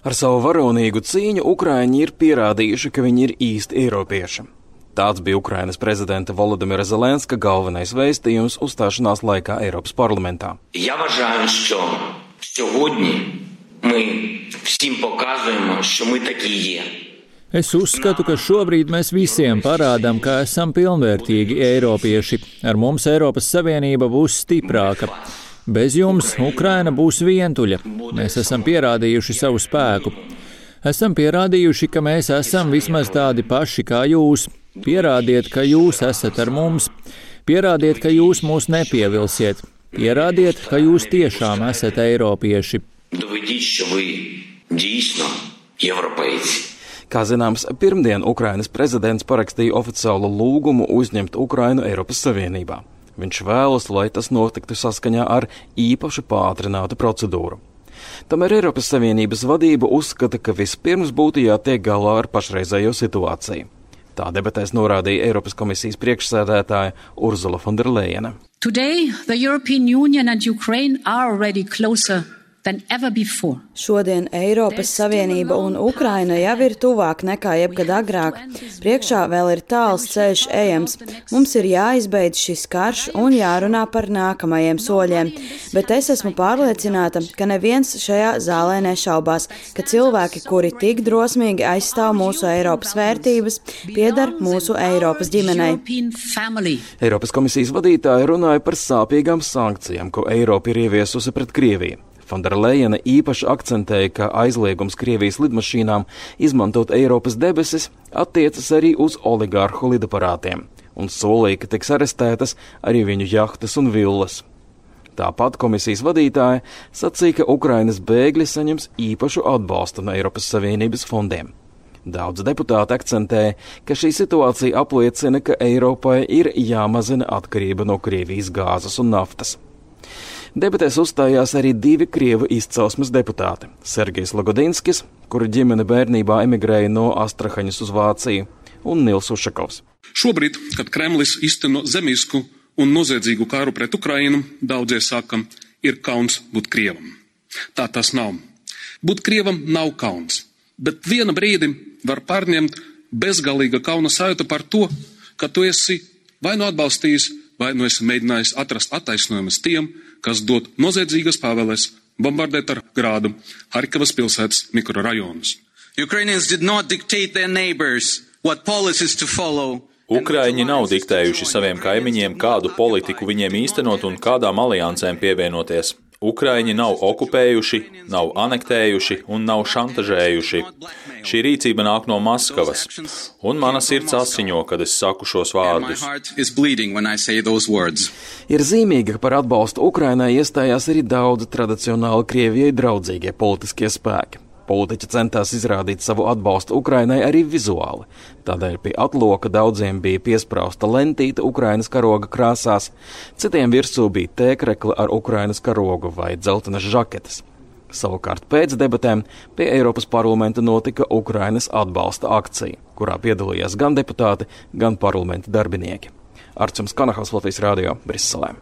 Ar savu varonīgu cīņu Ukraiņi ir pierādījuši, ka viņi ir īsti eiropieši. Tāds bija Ukrainas prezidenta Volodimira Zelenska galvenais vēstījums uzstāšanās laikā Eiropas parlamentā. Я вважаю, що сьогодні ми всім показуємо, що ми такі є. Es uzskatu, ka šobrīd mēs visiem parādām, ka esam pilnvērtīgi eiropieši. Ar mums Eiropas Savienība būs stiprāka. Bez jums Ukraina būs vientuļa. Mēs esam pierādījuši savu spēku. Esam pierādījuši, ka mēs esam vismaz tādi paši kā jūs. Pierādiet, ka jūs esat ar mums. Pierādiet, ka jūs mūs nepievilsiet. Pierādiet, ka jūs tiešām esat eiropieši. Доведіть, що ви дійсно європейці. Kā zināms, pirmdien Ukrainas prezidents parakstīja oficiālu lūgumu uzņemt Ukrainu Eiropas Savienībā. Viņš vēlas, lai tas notiktu saskaņā ar īpaši pātrinātu procedūru. Tomēr Eiropas Savienības vadība uzskata, ka vispirms būtu jātiek galā ar pašreizējo situāciju. Tā debatēs norādīja Eiropas komisijas priekšsēdētāja Ursula von der Leyena. Today, the European Union and Ukraine are already closer than ever before. Šodien Eiropas Savienība un Ukraina jau ir tuvāk nekā jebkad agrāk. Priekšā vēl ir tāls ceļš ejams. Mums ir jāizbeidz šis karš un jārunā par nākamajiem soļiem. Bet es esmu pārliecināta, ka neviens šajā zālē nešaubās, ka cilvēki, kuri tik drosmīgi aizstāv mūsu Eiropas vērtības, piedar mūsu Eiropas ģimenei. Eiropas komisijas vadītāja runāja par sāpīgām sankcijām, ko Eiropa ir ieviesusi pret Krieviju. Von der Leyena īpaši akcentēja, ka aizliegums Krievijas lidmašīnām izmantot Eiropas debesis attiecas arī uz oligārhu lidaparātiem un solīja, ka tiks arestētas arī viņu jahtas un villas. Tāpat komisijas vadītāja sacīja, ka Ukrainas bēgļi saņems īpašu atbalstu no Eiropas Savienības fondiem. Daudz deputāti akcentēja, ka šī situācija apliecina, ka Eiropai ir jāmazina atkarība no Krievijas gāzes un naftas. Debatēs uzstājās arī divi Krievu izcelsmes deputāti – Sergejs Lagodinskis, kura ģimene bērnībā emigrēja no Astrahaņas uz Vāciju, un Nils Ušakovs. Šobrīd, kad Kremlis izteno zemisku un noziedzīgu karu pret Ukrainu, daudzie saka, ir kauns būt Krievam. Tā tas nav. Būt Krievam nav kauns, bet viena brīdi var pārņemt bezgalīga kauna sajūta par to, ka tu esi vai nu atbalstījis, vai nu esi mēģinājis atrast attaisnojumus tiem, kas dod noziedzīgas pavēles bombardēt ar grādu Harkivas pilsētas mikrorajonus. Ukraiņi nav diktējuši saviem kaimiņiem, kādu politiku viņiem īstenot un kādām aliansēm pievienoties. Ukraiņi nav okupējuši, nav anektējuši un nav šantažējuši. Šī rīcība nāk no Maskavas, un mana sirds asiņo, kad es saku šos vārdus. Ir zīmīgi, ka par atbalstu Ukrainai iestājās arī daudzi tradicionāli Krievijai draudzīgie politiskie spēki. Politiķi centās izrādīt savu atbalstu Ukrainai arī vizuāli. Tādēļ pie atloka daudziem bija piesprausta lentīte Ukrainas karoga krāsās, citiem virsū bija tēkrekli ar Ukrainas karogu vai dzeltenas žaketes. Savukārt pēc debatēm pie Eiropas parlamenta notika Ukrainas atbalsta akcija, kurā piedalījās gan deputāti, gan parlamenta darbinieki. Arčuns Kanahaus, Latvijas radio, Briselē.